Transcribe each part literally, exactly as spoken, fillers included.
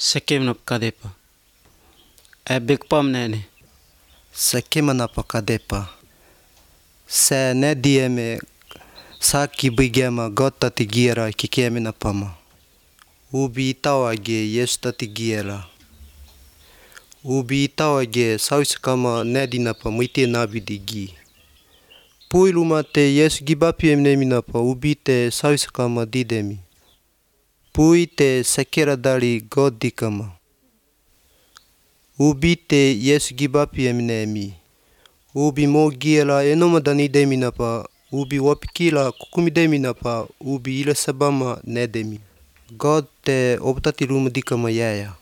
Sekemna pakadepa. E bekpam nene. Sekemana pakadepa. Se ne dieme saki bigema God tati gira kikemena pama. Ubi itawage Yesu tati gira. Ubi itawage sausikama nedinapa muite nabidi gi. Puiluma te Yesu gibapi emneminapa ubi te sausikama didemi. Pui te sekera dari God dikama. Ubi te Yesu gibapi emnemi. Ubi mo giela enomadani deminapa. Ubi wapikila kukumideminapa. Ubi ila sabama nedemi. God te obtati ruma dikama yaya.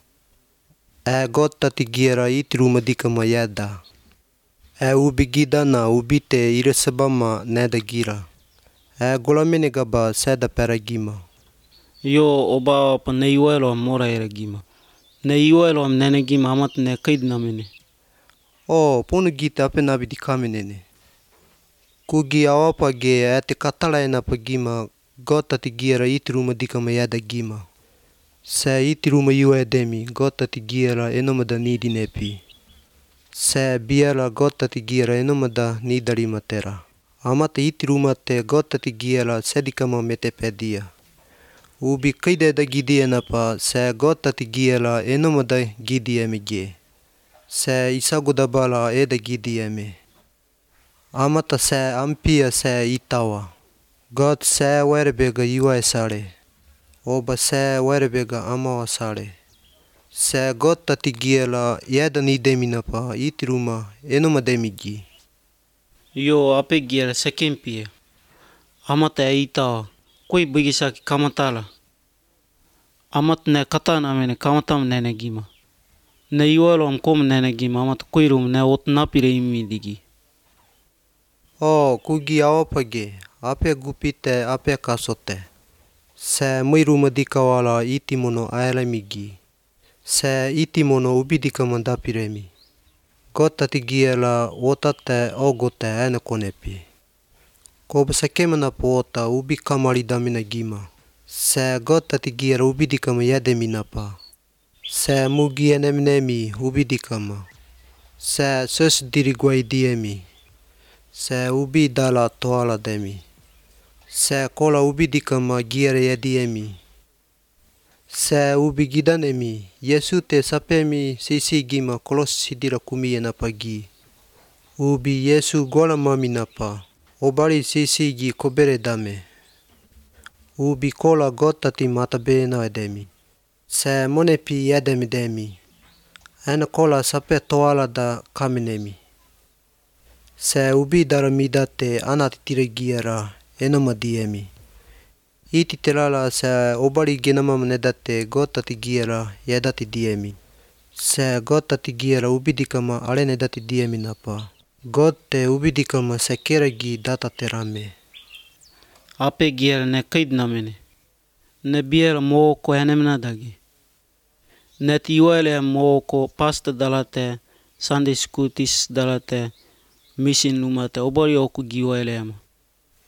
E God tati gira iti ruma dikama yada. E ubi gidana ubi te ila sabama neda gira. E golamene gaba seda peragima. Yo oba pa ne iwelo mora era gima. Ne iwelo am nene gima amat ne kaid namene. O ponu gita ape nabi dikamenene. Kugi awapa ge ate katala ena pagima God tati gira iti ruma dikama yada gima. Se iti ruma iwa edemi God tati gira enomada nidi nepi. Se biela God tati gira enomada nidari matera. Amata iti ruma te God tati gira sedikama mete pedia. Ubi kaideda gidi enapa se God tati gira enomada gidi emege. Se isagudabala eda gidi eme. Amata se ampia se itawa. God se werebega iwa esare. Oba se werebega amawa sare. Se God tati gira yeda nideminapa iti ruma enomademigi. Yo ape gira sekempia. Amata e itawa. Koi bigisaki kamatala. Amat ne katana mene kamatam nene gima. Ne iwelo am kom nene gima amat koi rum ne otnapire imi digi. O kugi awapage ape gupite ape kasote. Se muiruma dikawala iti mono aelemigi. Se iti mono ubidika mandapiremi. God tati gira otate ogote ene konepi. Koba sekemana poota ubi kamari damina gima. Se God tati gira ubidikama yademinapa. Se mugi enemnemi ubidikama. Se sus diriguai diemi. Se ubi dala toala demi. Se kola ubidikama gira yadiemi. Se ubi gidanemi. Yesu te sapemi sisi gima kolos sidira kumiena pagi. Ubi Yesu gola maminapa. Obari sisi gi kobere dame. Ubi kola God tati matabena edemi. Se monepi yedemi demi. Ena kola sape toala da kaminemi. Se ubi daramidate anatitire gira enomadiemi. Iti telala se obari genamam nedate God tati gira yedati diemi. Se God tati gira ubidikama ale nedati diemi napa. God te ubidikama sekeragi data terame. Ape gira ne kaid namene. Ne biela mo ko enemna dagi. Net iwele mo ko pasta dalate Sunday school tis dalate mission lumate obari oku giwele ama.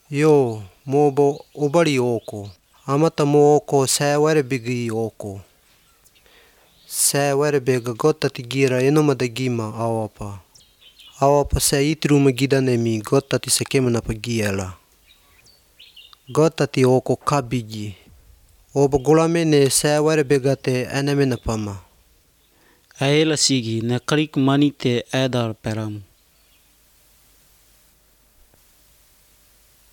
Yo mobo obari oko. Amata mo oko se werebigi oko. Se werebega God tati gira enomada gima awapa. Awapa se iti ruma gidanemi God tati sekemana pagiela. God tati oko kabigi. Oba golamene se werebega te enemena pama. Aela sigi ne karik manite edar peramu.